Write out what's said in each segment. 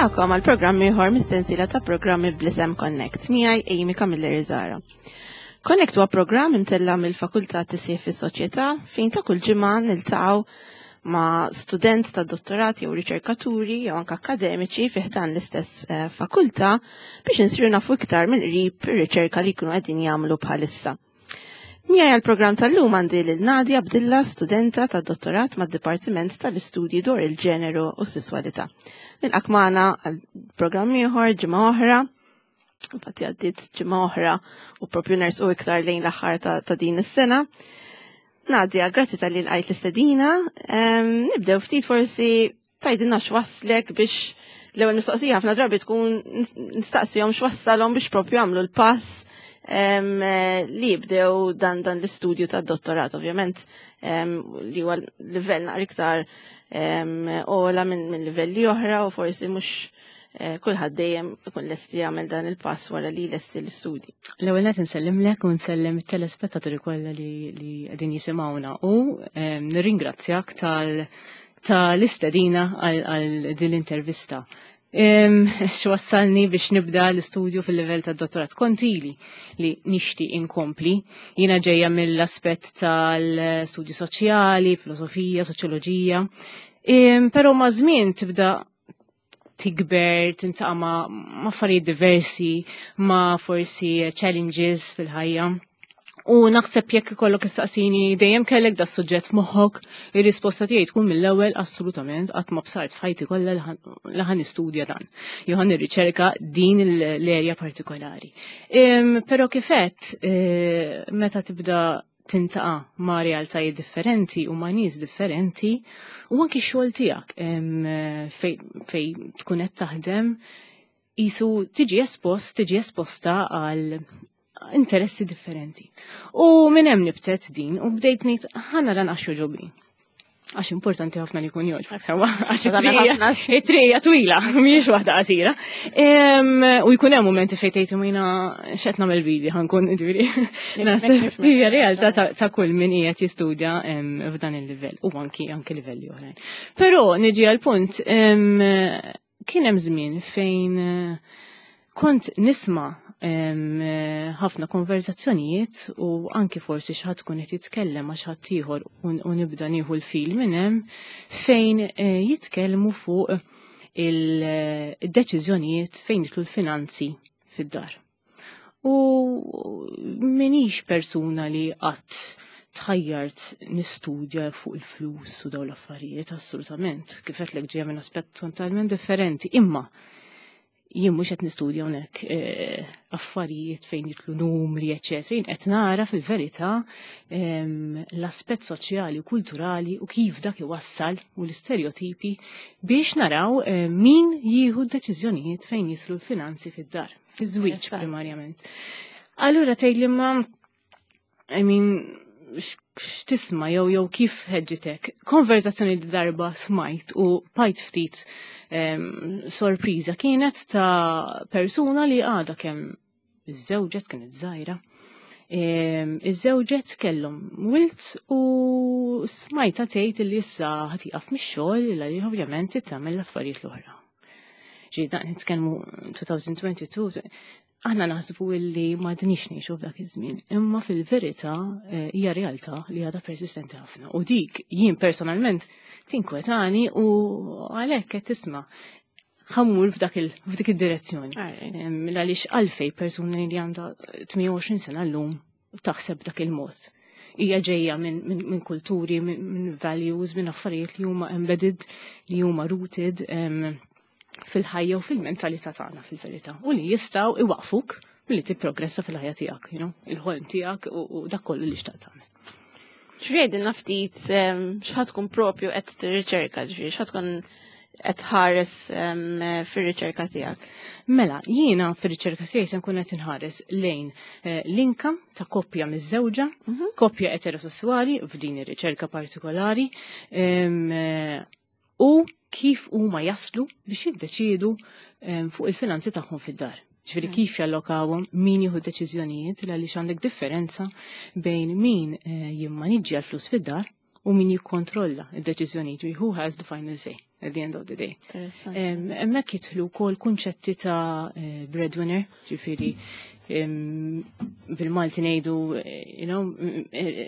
Nilqakom għal programm ieħor mis-sensiela ta' programmi bl-isem Connect miegħi Amy Camilleri Zara. Connect huwa programm imtella mill-Fakultà Tisjih fis-Soċjetà fejn ta' kull ġimgħa niltaqgħu ma' student ta' dottorat jew riċerkaturi jew anke akademiċi fi ħdan l-istess eh, fakultà biex insiru nafu iktar mill-qrib ir-riċerka li jkunu qegħdin jagħmlu bħalissa. Miegħi għall-programm tal-lum għandi lil Nadia Abdilla, studenta tad dottorat mad-Dipartiment tal-Istudji dwar il-Ġeneru u s-Sesswalità. Nilqak magħna għall-programm ieħor ġimgħa oħra. Infatti għaddiet ġimgħa oħra u propju nersqu iktar lejn l-aħħar ta' din is-sena. Nadia, grazzi tal-li l-għajt l-istedina. Nibdew ftit forsi Tgħidilna x'wasslek biex l-ewwel mistoqsija ħafna drabi tkun nistaqsihom x'wassalhom biex propju għamlu l-pass li jibdew dan dan l-istudju tad-dottorat ovvjament li huwa livell naqra iktar ola minn livelli oħra u forsi mhux eh, kulħadd dejjem ikun lesti jagħmel dan il-pass wara li lesti l-istudji. L-ewwel qed insellimlek u nsellem it-telespettaturi kollha li qegħdin jisimgħuna u nirringrazzjak tal ta' l-istedina għal din l-intervista. X'wassalni biex nibda l-istudju fil-livell ta' dottorat kontili li nixti inkompli. Jiena ġejja mill-aspett tal-studju soċjali, filosofija, soċjoloġija. Però ma' żmien tibda tikber, tintaqa' ma' affarijiet diversi, ma' forsi challenges fil-ħajja. U naħseb jekk ikollok issaqsini dejjem kellek da suġġett f'moħħok, ir-risposta tiegħi tkun mill-ewwel assolutament qatt ma bsart f'ħajti kollha li ħan nistudja dan. Jew ħan nirriċerka din l-erja partikolari. Però kifet eh, meta tibda tintaqa' ma' realtajiet differenti u ma' nies differenti u anki x-xogħol tiegħek fej tkun qed taħdem jisu tiġi espost, tiġi esposta għal interessi differenti. U minn hemm nibtet din u bdejt ngħid ħa nara għax joġobni. Għax importanti ħafna li jkun jogħġbok sewa, għax it-trija twila, mhijiex waħda qasira. U jkun hemm mumenti fejn tgħid imma x'qed nagħmel bidi ħankun ġifieri. Hija realtà ta' kull min qiegħed jistudja f'dan il-livell u anki anki livelli oħrajn. Però niġi għal punt Kien hemm żmien fejn eh, kont nisma' eh, ħafna konverzazzjonijiet u anki forsi xi ħadd tkun qed jitkellem ma' xi ħadd ieħor u nibda nieħu l-fil minn hemm fejn eh, jitkellmu fuq il-deċiżjonijiet fejn jitlu l-finanzi fid-dar. U minix persuna li qatt tħajjart nistudja fuq il-flus u daw l-affarijiet, assolutament. Kif qed ġejja minn aspett totalment differenti. Imma jien mhux qed nistudja hawnhekk eh, affarijiet fejn jitlu numri, eċetera. Jien qed nara fil-verità ehm, l-aspett soċjali u kulturali u kif dak iwassal u l-istereotipi biex naraw eh, min jieħu d-deċiżjonijiet fejn jitlu l-finanzi fid-dar. Fiż-żwieġ primarjament. Allura tgħid li ma I mean, x'tisma' jew jew kif ħeġġitek. Konverzazzjoni li darba smajt u pajt ftit sorpriża kienet ta' persuna li għadha kemm iż-żewġet kienet żgħira. Iż-żewġet kellhom wilt u smajta tgħid li issa ħatiqaf mix-xogħol li ovvjament tagħmel l-affarijiet l-oħra. Ġi daq nitkellmu 2022, aħna naħsbu illi ma dnix ngħixu f'dak iż-żmien, imma fil-verità eh, hija realtà li għadha persistenti ħafna. U dik jien personalment tinkwetani u għalhekk qed tisma' ħammur f'dak il f'dik id-direzzjoni. Għaliex għalfej persuna li għandha 28 sena llum taħseb dak il-mod. Hija ġejja minn min, min kulturi, minn min values, minn affarijiet li huma embedded, li huma rooted fil-ħajja u fil-mentalità tagħna fil-verità. U li jistgħu iwaqfuk milli tipprogressa fil-ħajja tiegħek, you know, il-ħolm tiegħek u dak kollu li xtaqt tagħmel. Xriedilna ftit x'ħad tkun propju qed tirriċerka, ġifieri x'ħad tkun qed tħares fir-riċerka tiegħek? Mela, jiena fir-riċerka tiegħi se nkun qed inħares lejn eh, l-income ta' koppja miżżewġa, mhm. koppja eterosessuali f'din ir-riċerka partikolari, eh, u kif huma jaslu biex jiddeċiedu fuq il-finanzi tagħhom fid-dar. Ġifieri mm. kif jallokawhom, min jieħu deċiżjonijiet għaliex għandek differenza bejn min eh, jimmaniġġja l-flus fid-dar u min jikkontrolla id-deċiżjonijiet who has the final say. At the end of the day. Hemmhekk jidħlu wkoll kunċetti ta' breadwinner, ġifieri bil-Malti ngħidu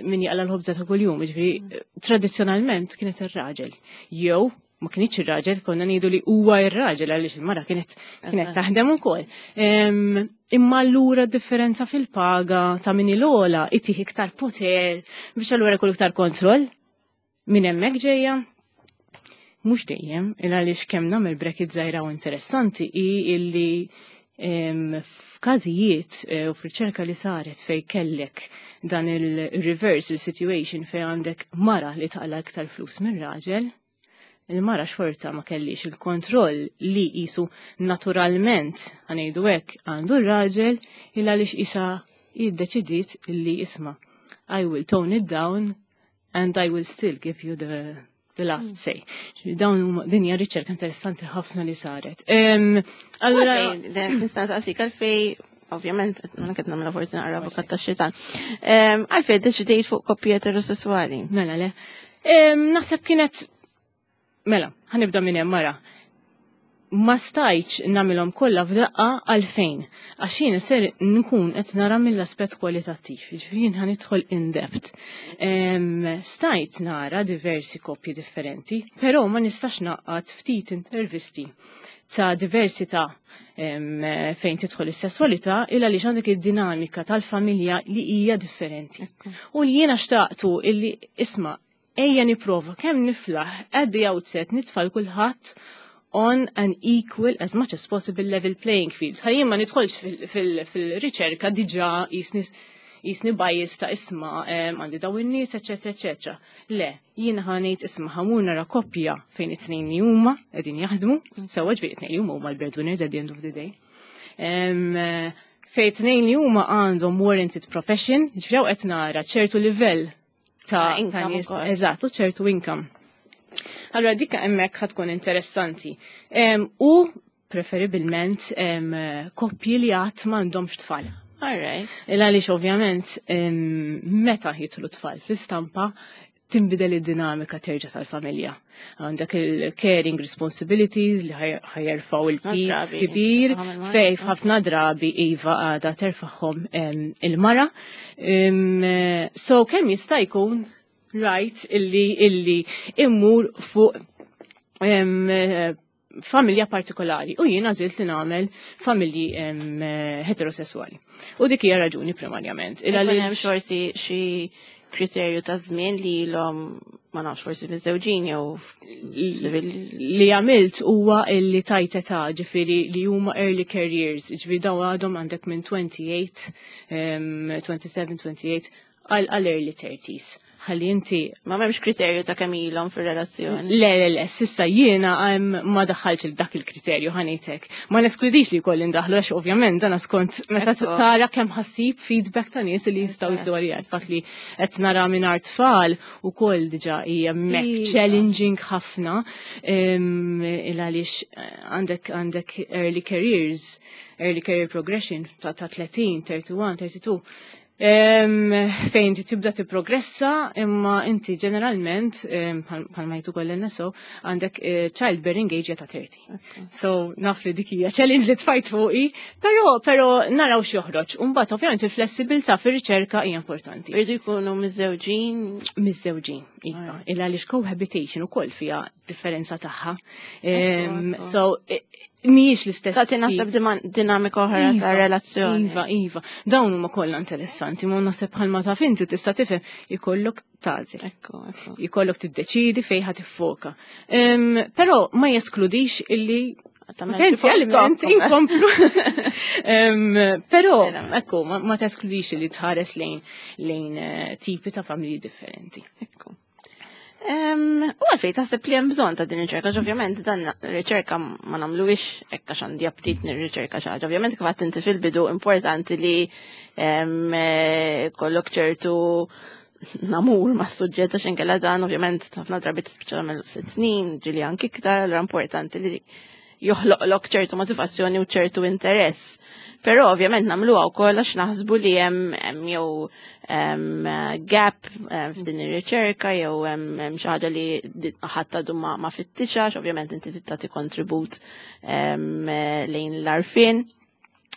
min jaqla l-ħobża ta' kuljum, ġifieri tradizzjonalment kienet ir-raġel. Jew ma kienx ir-raġel, konna ngħidu li huwa ir-raġel għaliex il-mara kienet taħdem ukoll. Imma allura differenza fil-paga ta' min il-ogħla itih iktar poter biex allura jkollu iktar kontroll. Minn hemmhekk ġejja. Mhux dejjem, il għaliex kemm nagħmel bracket żgħira u interessanti hi illi f'każijiet u f'riċerka li saret fej kellek dan il-reversal situation fej għandek mara li taqla iktar flus minn raġel, il-mara xorta ma kellix il-kontroll li jisu naturalment ħa ngħidu hekk għandu r-raġel, il għaliex isa jiddeċidiet illi, "Isma', I will tone it down and I will still give you the last say." Dawn huma din hija riċerka interessanti ħafna li saret. Allura nista' nsaqsik għalfej, ovvjament, ma qed nagħmilha forsi naqra avukat tax-xitan. Għalfej deċidejt fuq koppji eterosessuali? Mela le. Naħseb kienet, mela, ħa nibda minn hemm mara. Ma stajtx nagħmilhom kollha f'daqqa. Għalfejn? Għax jien ser nkun qed nara mill-aspett kwalitattiv, jiġifieri jien ħa nidħol in depth. Stajt nara diversi koppji differenti, però ma nistax naqqat ftit intervisti ta' diversità fejn tidħol is-sesswalità il għaliex għandek id-dinamika tal-familja li hija differenti. U li jiena xtaqtu illi, isma', ejja niprova kemm niflaħ at the outset nitfa' kulħadd on an equal as much as possible level playing field. Ħalli ma nidħolx fil-riċerka diġà jisni bias ta', isma', għandi daw in-nies, eċetera, eċetera. Le, jiena ħa ngħid, isma', ħa mmur nara koppja fejn it-tnejn li huma qegħdin jaħdmu, sewwa, ġifieri it-tnejn li huma huma l-breadwinners at the end of the day. Fejn it-tnejn li huma għandhom warranted profession, ġifieri hawn qed nara ċertu livell ta' income nies, ukoll. Eżatt, u ċertu income. Allora dik hemmhekk ħa tkun interessanti. U preferibilment koppji li għad m'għandhomx tfal. All right. Il għaliex ovvjament meta jidħlu tfal fl-istampa tinbidel id-dinamika terġa' tal-familja. Għandek il-caring responsibilities li ħa jerfgħu il-piż drabi, kbir, ħafna il-mara. Fej ħafna drabi iva għada terfagħhom il-mara. So kemm jista' jkun right illi immur fuq familja partikolari u jiena għażilt li nagħmel familji heterosessuali. U dik hija raġuni primarjament. Il għaliex- hemm forsi xi kriterju ta' żmien li ilhom, ma nafx, forsi miżżewġin jew civil. Li għamilt huwa illi tajt età, ġifieri li huma early careers, ġifieri daw għadhom għandek minn 28, 27, 28 għal early 30s. Ħalli inti Ma m'hemmx kriterju ta' kemm ilhom fir-relazzjoni? Le, le, le, s'issa jiena ma daħħalx dak il-kriterju, ħa ngħidlek. Ma neskludix li jkolli ndaħlu għax ovvjament dan skont meta tara kemm ħa ssib feedback ta' nies li jistgħu jidħlu għalija. Il-fatt li qed nara minn tfal ukoll diġà hija mek challenging ħafna il għaliex għandek early careers, early career progression ta' 30, 31, 32. Fejn inti tibda tipprogressa, imma inti ġeneralment, bħalma jgħidu koll NSO, għandek childbearing age ta' 30. So naf li dik hija challenge li tfajt fuqi, però naraw x'joħroġ. U mbagħad ovvjament il-flessibilità fir-riċerka hija importanti. Irridu jkunu miżżewġin? Miżżewġin, iva. Il għaliex cohabitation ukoll fiha differenza tagħha. So mhijiex l-istess. Tagħti naħseb dinamika oħra ta' relazzjoni. Iva. Dawn huma kollha interessanti, ma naħseb bħalma taf inti tista' tifhem ikollok tagħżel. Ekku, ekku. Ikollok tiddeċidi fejn ħa tiffoka. Però ma jeskludix illi Tagħmel potenzjalment tipo inkomplu. Però, ekku, ma teskludix li tħares lejn tipi ta' familji differenti. Ekku. U għalfej taħseb li hemm bżonn ta' din ir-riċerka, għax ovvjament dan riċerka ma nagħmluhiex hekk għax għandi aptit nirriċerka xi ħaġa. Ovvjament, kif għedt inti fil-bidu, importanti li kollok ċertu namur ma' suġġett għax inkella dan ovvjament ħafna drabi tispiċċa tagħmel 6 snin, ġieli anki iktar, allura importanti li Joħloqlok ċertu motivazzjoni u ċertu interess. Però ovvjament nagħmluha wkoll għax naħsbu li hemm jew gap f'din ir-riċerka jew hemm xi ħaġa li ħadd għadu ma fittixax, ovvjament inti tagħti kontribut lejn l-għarfien.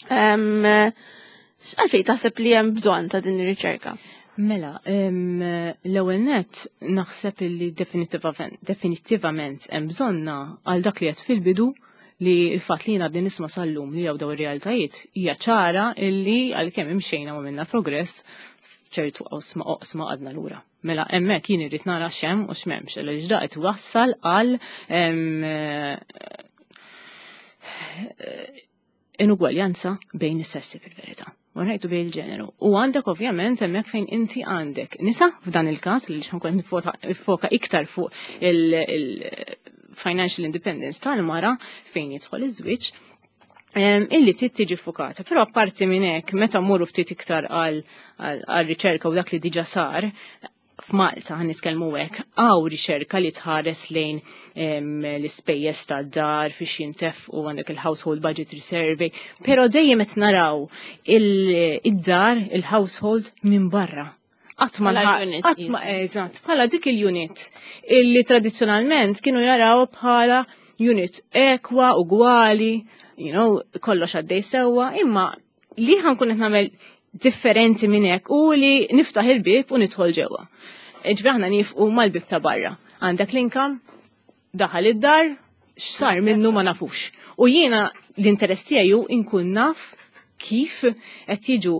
Għalfejn taħseb li hemm bżonn ta' din ir-riċerka? Mela, l-ewwel net naħseb li definitivament hemm bżonna għal dak li qed fil-bidu, li l-fatt li jiena għadni nisma' sal-lum li hawn daw ir-realtajiet hija ċara illi għalkemm imxejna u għamilna progress f'ċertu oqsma, għadna lura. Mela hemmhekk jien irrid nara x'hemm u x'm'hemmx, għaliex da qed wassal għal inugwaljanza bejn is-sessi fil-verità. U ngħidu bejn il-ġeneru. U għandek ovvjament hemmhekk fejn inti għandek nisa f'dan il-każ li ħankun nifoka iktar fuq il-financial independence tal-mara fejn jidħol iż-żwieġ illi trid tiġi fokata. Però apparti minn hekk, meta mmorru ftit iktar għal riċerka u dak li diġà sar, f'Malta ħan nitkellmu hekk, hawn riċerka li tħares lejn l-ispejjeż tad-dar fiex jintef u għandek il-Household Budgetary Survey, però dejjem qed naraw id-dar, il-household minn barra. Qatt ma qatt ma eżatt, bħala dik il-unit illi tradizzjonalment kienu jaraw bħala unit ekwa, ugwali, kollox għaddej sewwa, imma li ħankun qed nagħmel differenti minn hekk u li niftaħ il-bib u nidħol ġewwa. Ġifieri aħna nifqu mal-bib ta' barra. Għandek l-income, daħal id-dar, x'sar minnu ma nafux. U jiena l-interess tiegħi inkun naf kif qed jiġu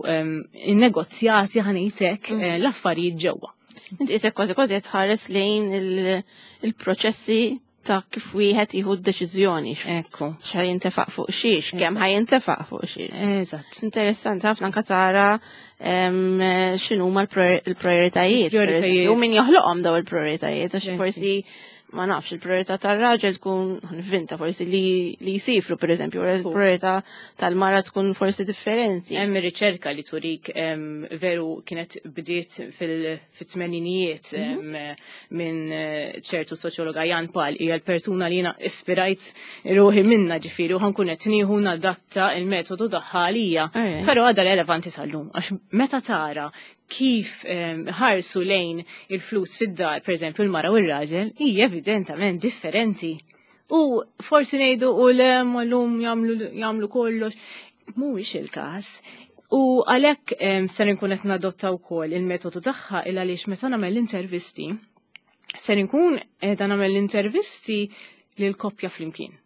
innegozjati, ħa ngħidlek, l-affarijiet ġewwa. Inti qisek kważi kważi qed tħares lejn il-proċessi ta' kif wieħed jieħu d-deċiżjoni. X'ħa jintefaq fuq xiex, kemm ħa jintefaq fuq xiex. Interessanti ħafna anka tara x'inhuma l-prioritajiet. Prioritajiet. U min joħloqhom daw il-prioritajiet, għax forsi ma nafx, il-priorità tar-raġel tkun vinta forsi li jsifru, per eżempju, il-priorità tal-mara tkun forsi differenti. Hemm riċerka li turik veru kienet bdiet fit-tmeninijiet minn ċertu soċjologa Jan Pal, hija l-persuna li jiena ispirajt ruħi minna, ġifieri, u ħankun qed nieħu nadatta il-metodu tagħha għalija. Però għadha relevanti sal-lum, għax meta tara kif ħarsu lejn il-flus fid-dar, per eżempju, il-mara u r-raġel, hija evidentament differenti. U forsi ngħidu u le l-lum jagħmlu kollox. Mhuwiex il-każ. U għalhekk ser inkun qed nadotta wkoll il-metodu tagħha, il għaliex meta nagħmel l-intervisti, ser inkun qiegħda nagħmel l-intervisti lil koppja flimkien.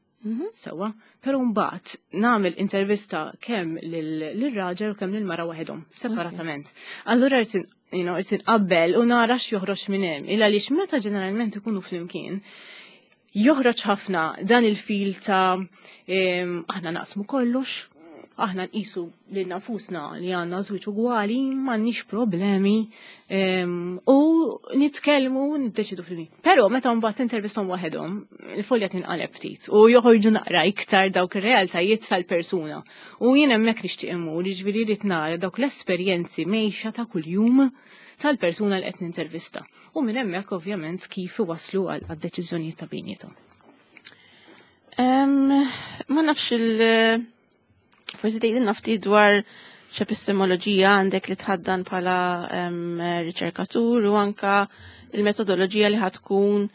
Sewa, però mbagħad nagħmel intervista kemm lir-raġel u kemm lill-mara waħedhom, separatament. Allura rrid inqabbel u nara x'joħroġ minn hemm. Il għaliex meta ġeneralment ikunu flimkien, joħroġ ħafna dan il-fil ta' aħna naqsmu kollox, aħna nqisu lil nafusna li għandna żwieġ ugwali, m'għandniex problemi, u nitkellmu niddeċidu fil-min. Però meta mbagħad intervistom waħedhom, il-folja tinqaleb ftit u joħorġu naqra iktar dawk ir-realtajiet tal-persuna. U jien hemmhekk nixtieq immur, jiġifieri rrid nara dawk l-esperjenzi mejxa ta' kuljum tal-persuna li qed nintervista. U minn hemmhekk ovvjament kif iwasslu għal deċiżjonijiet ta' bejniethom. Ma nafx forsi tgħidilna ftit dwar x'epistemoloġija għandek li tħaddan bħala riċerkatur u anka il-metodoloġija li ħatkun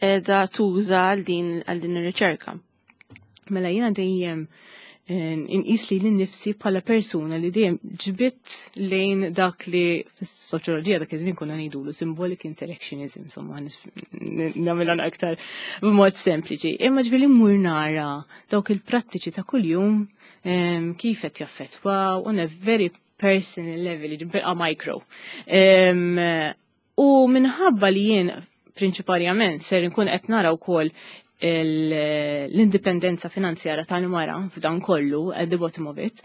qiegħda tuża għal din ir-riċerka. Mela jiena dejjem inqis li lil nifsi bħala persuna li dejjem ġbitt lejn dak li fis-soċjoloġija dak iż-żmien konna ngħidulu symbolic interactionism, insomma, nagħmilha aktar b'mod sempliċi. Imma ġifieri mmur nara dawk il-prattiċi ta' kuljum kif qed jaffettwaw on a very personal level, ġifieri micro. U minħabba li jien prinċipalment ser nkun qed nara wkoll l-indipendenza finanzjara tal-mara f'dan kollu, at the bottom of it,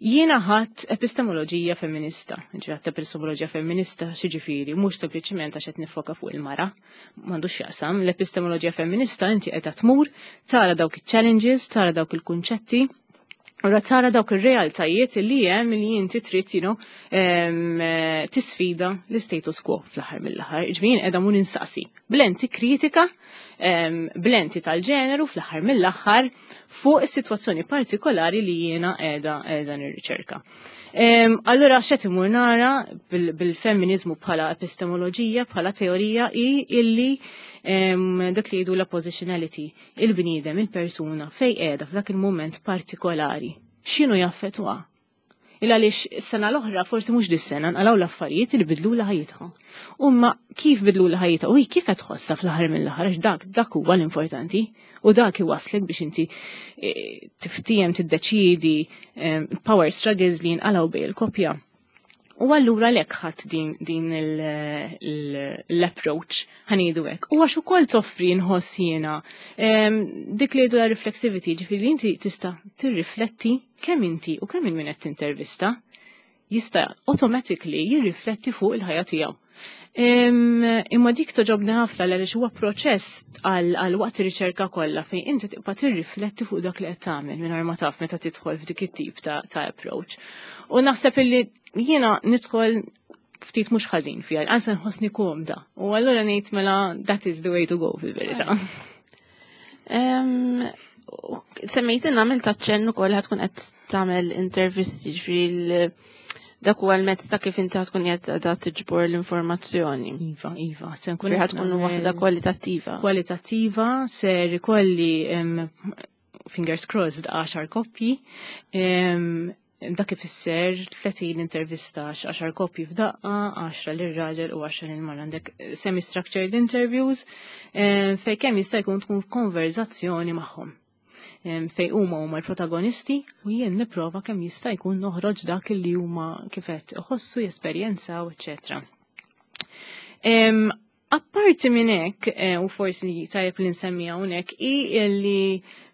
jiena ħadt epistemoloġija femminista. Ġifieri ħadt epistemoloġija femminista x'jiġifieri, mhux sempliċiment għax qed nifoka fuq il-mara, m'għandux x'jaqsam. L-epistemoloġija femminista inti qiegħda tmur, tara dawk il-challenges, tara dawk il-kunċetti. Ura tara dawk ir-realtajiet li hemm li inti trid you know, tisfida l-status quo fl-aħħar mill-aħħar. Ġifieri qiegħda mun insaqsi. Blenti kritika, blenti tal-ġeneru fl-aħħar mill-aħħar fuq is-sitwazzjoni partikolari li jiena qiegħda qiegħda nirriċerka. Allura x'qed imur nara bil-femminizmu bħala epistemoloġija, bħala teorija hi illi dak li jgħidu la positionality il-bniedem, il-persuna, fej qiegħda f'dak il-mument partikolari. X'inhu jaffettwa? Il għaliex sena l-oħra, forsi mhux dis-sena, nqalgħu l-affarijiet li bidlu ħajjitha. Umma kif bidlu ħajjitha u hi kif qed tħossha fl-aħħar mill-aħħar għax dak dak huwa l-importanti u dak iwaslek biex inti eh, tiftiem tiddeċiedi eh, power struggles li jinqalgħu bej il-koppja. U allura lek ħadd din, din l-approach ħanidu hekk. U għax ukoll toffri nħoss jiena dik li jgħidu la reflexivity, ġifieri inti tista' tirrifletti kemm inti u kemm min qed tintervista jista' automatically jirrifletti fuq il-ħajja tiegħu. Imma dik toġobni ħafna għaliex huwa proċess għal waqt ir-riċerka kollha fejn inti tibqa' tirrifletti fuq dak li qed tagħmel mingħajr ma taf meta tidħol f'dik it-tip ta' approach. U naħseb illi jiena nidħol ftit mhux ħażin fiha, ansa nħossni komda. U allura ngħid mela that is the way to go fil-verità. Semmejt għamil taċċenn ukoll ħatkun qed tagħmel intervisti ġifieri dak huwa l-mezz ta' kif inti tkun qed da tiġbor l-informazzjoni. Iva, iva, se nkun qed tkun waħda kwalitattiva. Kwalitattiva ser ikolli fingers crossed 10 koppji. Dak ifisser 30 intervista, 10 koppji f'daqqa, 10 lir-raġel u 10 lil-mara. Għandek semi-structured interviews fejn kemm jista' jkun tkun konverzazzjoni magħhom. Fej huma huma l-protagonisti u jien nipprova kemm jista' jkun noħroġ dak li huma kif qed iħossu, jesperjenzaw, eċetera. Apparti minn hekk, u forsi tajjeb li nsemmi hawnhekk, hi li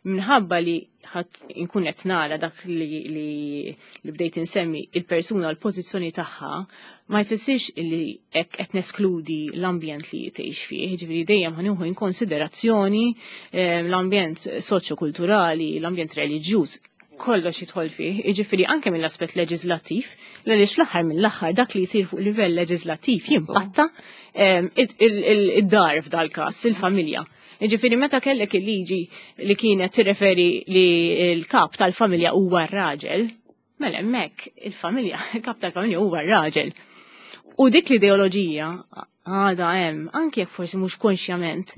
minħabba li ħadd inkun qed nara dak li, li, li bdejt insemmi il-persuna l-pożizzjoni tagħha, ma jfissirx li hekk qed neskludi l-ambjent li tgħix fih, ġifieri dejjem ħa nieħu in konsiderazzjoni l-ambjent soċjokulturali, l-ambjent reliġjuż, kollox jidħol fih, jiġifieri anke mill-aspett leġislattiv, għaliex fl-aħħar mill-aħħar dak li jsir fuq livell leġislattiv jimpatta id-dar f'dal-każ, il-familja. Jiġifieri meta kellek il-liġi li kienet tirreferi li l-kap tal-familja huwa r-raġel, mela hemmhekk il-familja, il-kap tal-familja huwa r-raġel. U dik l-ideoloġija għadha hemm, anke jekk forsi mhux konxjament,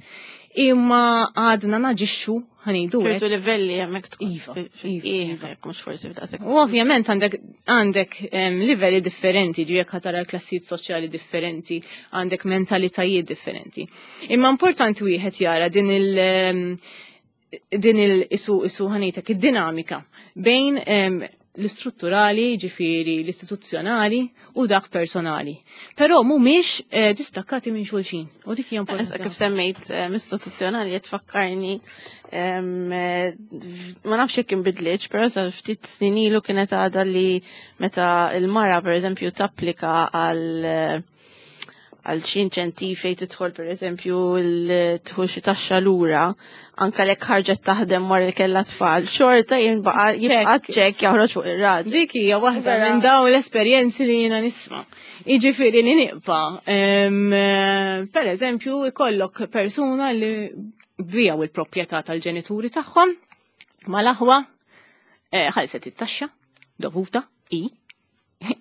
imma għadna naġixxu ħa ngħidu hekk. ċertu livelli hemmhekk tkun Iva, iva, iva. jekk mhux forsi f'daqshekk. U ovvjament għandek livelli differenti, ġi jekk tara klassijiet soċjali differenti, għandek mentalitajiet differenti. Imma importanti wieħed jara din il- din il isu isu ħa ngħidlek id-dinamika bejn l-istrutturali, ġifieri l-istituzzjonali u dak personali. Però mhumiex distakkati minn xulxin. U dik hija importanti. Issa kif semmejt istituzzjonali qed tfakkarni ma nafx jekk inbidlitx, però sa ftit snin ilu kienet għadha li meta l-mara pereżempju tapplika għal xi inċentiv fejn tidħol pereżempju l-tħul xi taxxa lura, anka lek ħarġet taħdem wara li kellha tfal, xorta jibqa' ċekk joħroġ fuq ir-raġel. Dik hija waħda minn dawn l-esperjenzi li jiena nisma'. Jiġifieri li nibqa', per eżempju, ikollok persuna li bijaw il-proprjetà tal-ġenituri tagħhom mal-aħwa, ħalset it-taxxa dovuta i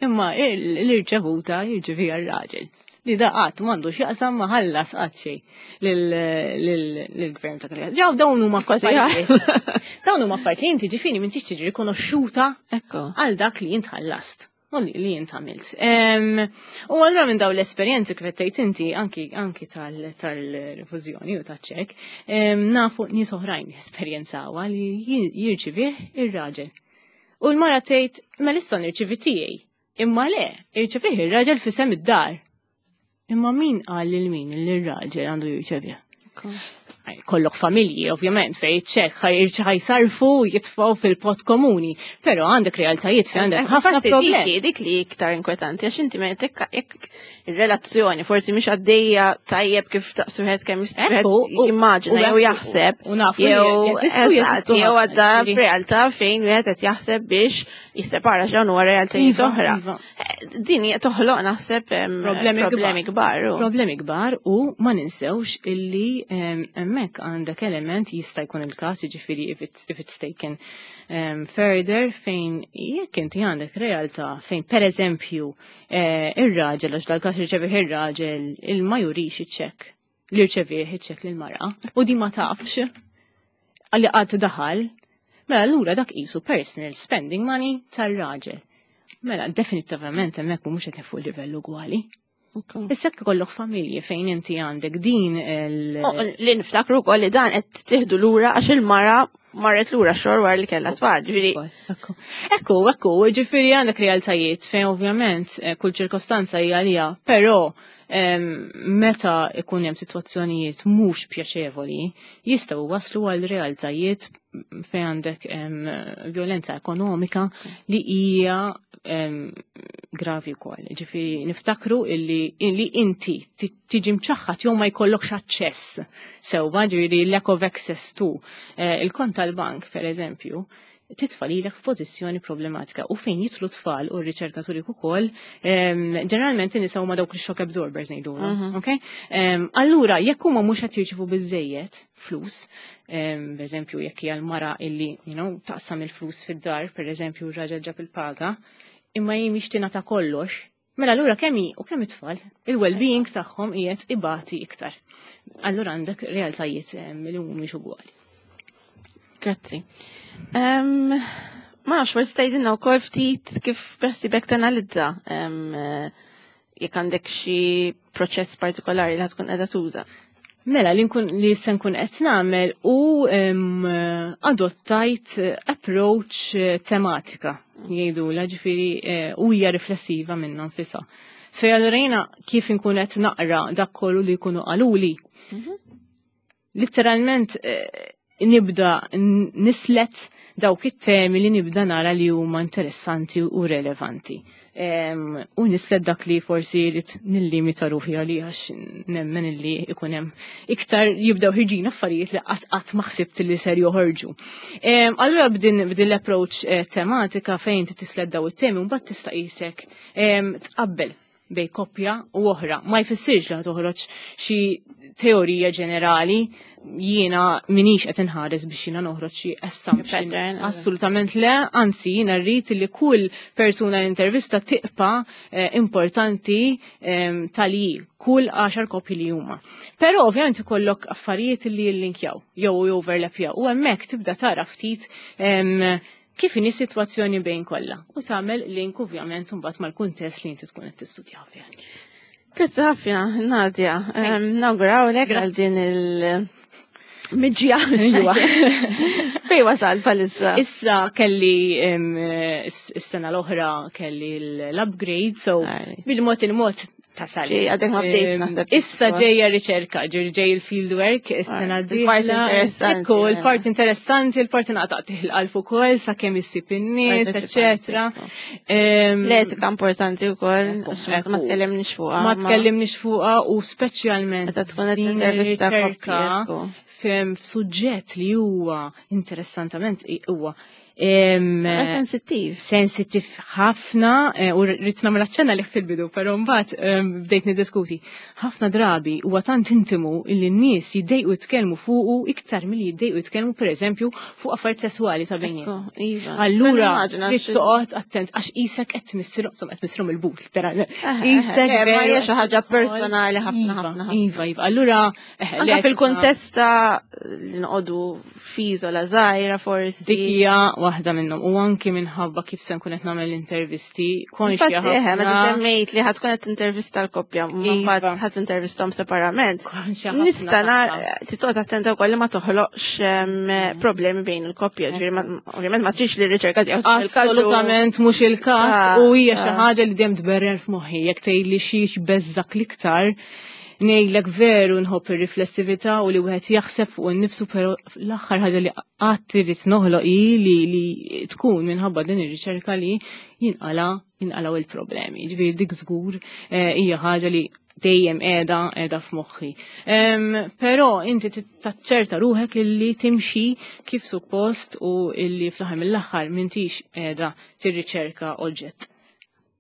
imma l-irċevuta jirċeviha r-raġel. Li da qatt m'għandu x'jaqsam ma ħallas qatt xejn lill-gvern ta' Kalja. Ġew dawn huma Kważi affarijiet. Dawn huma affarijiet li inti ġifieri m'intix tiġi rikonoxxuta għal dak li int ħallast. U li int għamilt. U allura minn dawn l-esperjenzi kif qed tgħid inti anki tal-rifużjoni u taċ-ċekk, nafu nies oħrajn esperjenzawha li jirċivih ir-raġel. U l-mara tgħid mela issa nirċivi tiegħi. Imma le, irċevih ir-raġel fisem id-dar. Imma min qal lil min li r-raġel għandu jirċevih? Kollok familji, ovvjament, fej ċek ħajsarfu jitfaw fil-pot komuni, pero għandek realtajiet fejn għandek ħafna problemi. Dik li iktar inkwetanti, għax inti meta jekk ir-relazzjoni forsi mhix għaddejja tajjeb kif taqsu wieħed kemm jimmaġina jew jaħseb. Jew għadda f'realtà fejn wieħed qed jaħseb biex jissepara x'dawn huwa realtajiet iva, oħra. Iva. Eh, din hija toħloq naħseb problemi kbar. Problemi kbar u ma ninsewx illi hemmhekk għandek element jista' jkun il-każ jiġifieri if it's taken further fejn jekk inti għandek realtà fejn pereżempju eh, ir-raġel għax dal-każ irċevih ir-raġel il ma jurix iċ-ċekk li rċevih iċ-ċekk lill-mara u di ma tafx għalli qatt daħal, mela allura dak qisu personal spending money tar-raġel. Mela definitivament hemmhekk mhux qed fuq livell ugwali. Issa jekk ikollok familji fejn inti għandek din il- Oh, li niftakru wkoll li dan qed tieħdu lura għax il-mara marret lura xor wara li kellha tfal, ġifieri. Ekku, ekku, ġifieri għandek realtajiet fejn ovvjament eh, kull ċirkostanza hija għalija, però meta ikun hemm sitwazzjonijiet mhux pjaċevoli, jistgħu waslu għal realtajiet fejn għandek violenza ekonomika li hija gravi wkoll. Ġifieri niftakru illi, illi inti tiġi mċaħħat jew ma jkollokx aċċess sewwa, ġifieri lack of access to eh, il-kont tal-bank, per eżempju, titfa' lilek f'pożizzjoni problematika u fejn jidħlu tfal u r-riċerkaturi ukoll, ġeneralment in-nisa huma dawk il-shock absorbers ngħidulhom, ok? Allura jekk huma mhux qed jirċievu biżejjed flus, pereżempju jekk hija l-mara illi, you know, taqsam il-flus fid-dar, pereżempju r-raġel ġab il-paga, imma hi mhix tingħata kollox, mela allura kemm hi u kemm it-tfal, il-well-being tagħhom qiegħed ibati iktar. Allura għandek realtajiet li mhumiex ugwali. Grazzi. Ma nafx, forsi tgħidilna wkoll ftit kif beħsibek tanalizza jekk għandek xi proċess partikolari li tkun qiegħda tuża. Mela li nkun li se nkun qed nagħmel u adottajt approach eh, tematika jgħidula ġifieri eh, u hija riflessiva minnha nfisha. Fej allura jiena kif inkun qed naqra dak kollu li jkunu qaluli. Litteralment eh, nibda nislet dawk it-temi li nibda nara li huma interessanti u relevanti. U nislet dak li forsi rrid nillimita ruħi għalli għax nemmen illi ikun hemm iktar jibdew ħirġin affarijiet li qatt qatt ma ħsibt li ser joħorġu. Allura b'din l-approach eh, tematika fejn tislet daw it-temi u mbagħad tista' qisek tqabbel bej koppja u oħra. Ma jfissirx li toħroġ xi teorija ġenerali jiena minix qed inħares biex jiena noħroġ xi assumption. Assolutament le, anzi jiena rrid li kull persuna l-intervista tiqpa eh, importanti eh, tal kull 10 koppji li huma. Però ovvjament ikollok affarijiet li jillinkjaw jew overlapjaw u hemmhekk tibda tara ftit kif inhi sitwazzjoni bejn kollha u tagħmel link ovvjament imbagħad mal-kuntest li inti tkun qed tistudja fih. Grazzi ħafna, Nadia. Nawgurawlek għal din il- Miġja. Iwa. Fej wasal palissa? Issa kelli is-sena l-oħra kelli l-upgrade, so bil-mod il-mod tasal. Għadek ma bdejt naħseb. Issa ġejja riċerka, ġej il-field work, is-sena d-dieħla. Ekku, il-part interessanti, il-part naqtaq tiħil-qalb ukoll sakemm issib in-nies, eċetera. L-etika importanti wkoll, ma tkellimniex fuqha. Ma tkellimniex fuqha u speċjalment. Meta tkun qed intervista koppja. F'suġġett li huwa interessantament huwa Sensittiv. Sensittiv ħafna, eh, u rrid nagħmel aċċenna li fil-bidu, però mbagħad bdejt niddiskuti. Ħafna drabi huwa tant intimu illi n-nies jiddejqu jitkellmu fuqu iktar milli jiddejqu jitkellmu pereżempju fuq affarijiet sesswali ta' bejniethom. Iva. Allura trid toqgħod attent għax isek qed tmissilhom, insomma qed tmissilhom il-but literalment. Isek ma hija xi ħaġa personali ħafna iva, ħafna. Iva, iva. Allura Anka fil-kuntest ta' li noqogħdu f'iżola żgħira forsi. Dik hija waħda minnhom u anki minħabba kif se nkun qed nagħmel intervisti konxja ħafna. Eħe, meta semmejt li ħadd tkun qed intervista l-koppja, ma iva. mbagħad ħadd intervisthom separament. Nista' nar titqgħod attenta wkoll li ma toħloqx mm. problemi bejn il-koppja, ġifieri ovvjament ma trix li r-riċerka tiegħek Assolutament mhux il-każ ah, u hija xi ah. ħaġa li dejjem tberren f'moħħi jekk tgħidli xi beżżak l-iktar. Ngħidlek veru nħobb ir-riflessività u li wieħed jaħseb fuq innifsu, però l-aħħar ħaġa li qatt irid noħloq hi li tkun minħabba din ir-riċerka li jinqala jinqalgħu il-problemi. Ġifieri dik żgur eh, hija ħaġa li dejjem qiegħda qiegħda f'moħħi. Però inti taċċerta ruħek illi timxi kif suppost u illi fl-aħħar mill-aħħar m'intix qiegħda tirriċerka oġġett.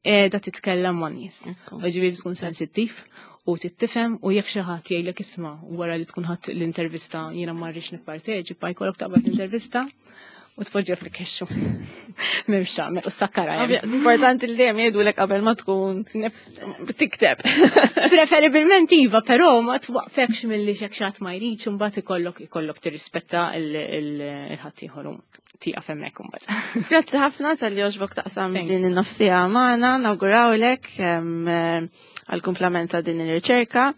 Qiegħda titkellem ma' nies. Ġifieri tkun sensittiv u tittifhem u jekk xi ħadd jgħidlek isma' wara li tkun ħadd l-intervista jiena ma rridx nipparteċipa jkollok taqbad l-intervista u tpoġġiha fil-kexxu. M'hemmx tagħmel u sakkara. Importanti li dejjem jgħidulek qabel ma tkun tikteb. Preferibilment iva, però ma twaqfekx milli xek xatt ma jridx imbagħad ikollok ikollok tirrispetta il-ħadd ieħor tieqaf hemmhekk imbagħad. Grazzi ħafna tal-li għoġbok taqsam din in-nofsija magħna, nawgurawlek għall-kumplament ta' din ir-riċerka.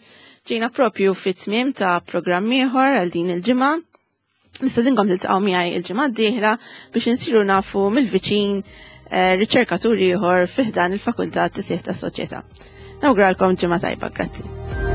Ġejna propju fit-tmiem ta' programm ieħor għal din il-ġimgħa. Nistedinkom tiltaqgħu miegħi il-ġimgħa d-dieħla biex insiru nafu mill-viċin eh, riċerkatur ieħor fi ħdan il-Fakultà Tisjieħ tas-Soċjetà. Nawguralkom ġimgħa tajba, grazzi.